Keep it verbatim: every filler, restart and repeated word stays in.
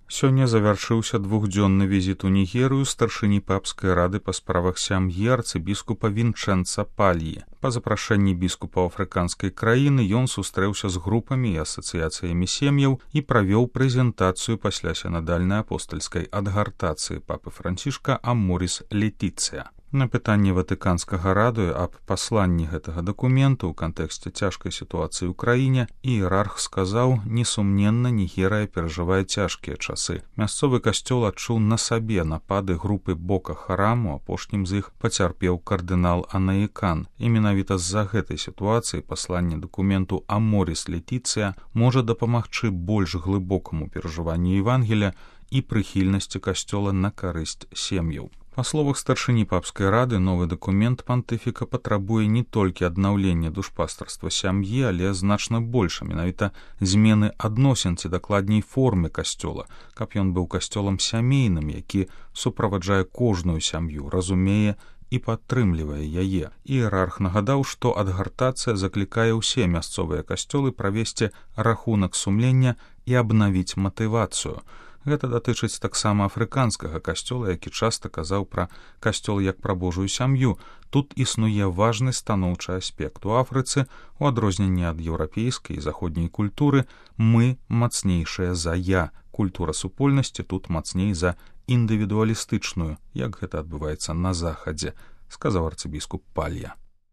Сёння завяршыўся двухдзённы візіт у Нігерыю старшыні папскай рады па справах сям'і арцыбіскупа Вінчэнца Пальі. Па запрашэнні біскупаў афрыканскай краіны ён сустрэўся з групамі і асацыяцыямі сем'яў і правёў прэзентацыю пасля сінадальнай апостальскай адгартацыі папы Францішка Аморіс Летіцыя. На пытанне ватыканскага радыё аб пасланні гэтага дакументу ў кантэксце цяжкай сітуацыі ў краіне іерарх сказаў: несумненна, Нігерыя перажывае цяжкія часы. Мясцовы касцёл адчуў на сабе напады групы Бока Хараму, апошнім з іх пацярпеў кардынал Анаікан. І менавіта з-за гэтай сітуацыі пасланне дакументу Аморіс Летіцыя можа дапамагчы больш глыбокаму перажыванню Евангелія і прыхільнасці касцёла на карысць сем'яў. Па словах старшыні папскай рады, новы дакумент пантыфіка патрабуе не толькі аднаўлення душпастарства сям'і, але значна больш, менавіта змены адносін ці дакладней формы касцёла, каб ён быў касцёлам сямейным, які суправаджае кожную сям'ю, разумее і падтрымлівае яе. Іерарх нагадаў, што адгартацыя заклікае ўсе мясцовыя касцёлы правесці рахунак сумлення і абнавіць матывацыю. Гэта датычыць таксама афрыканскага касцёла, які часта казаў пра касцёл як пра Божую сям'ю. Тут існуе важны станоўчы аспект. У Афрыцы, у адрозненні ад еўрапейскай і заходняй культуры, мы мацнейшыя за я. Культура супольнасці тут мацней за індывідуалістычную, як гэта адбываецца на захадзе, сказаў арцыбіскуп Палья.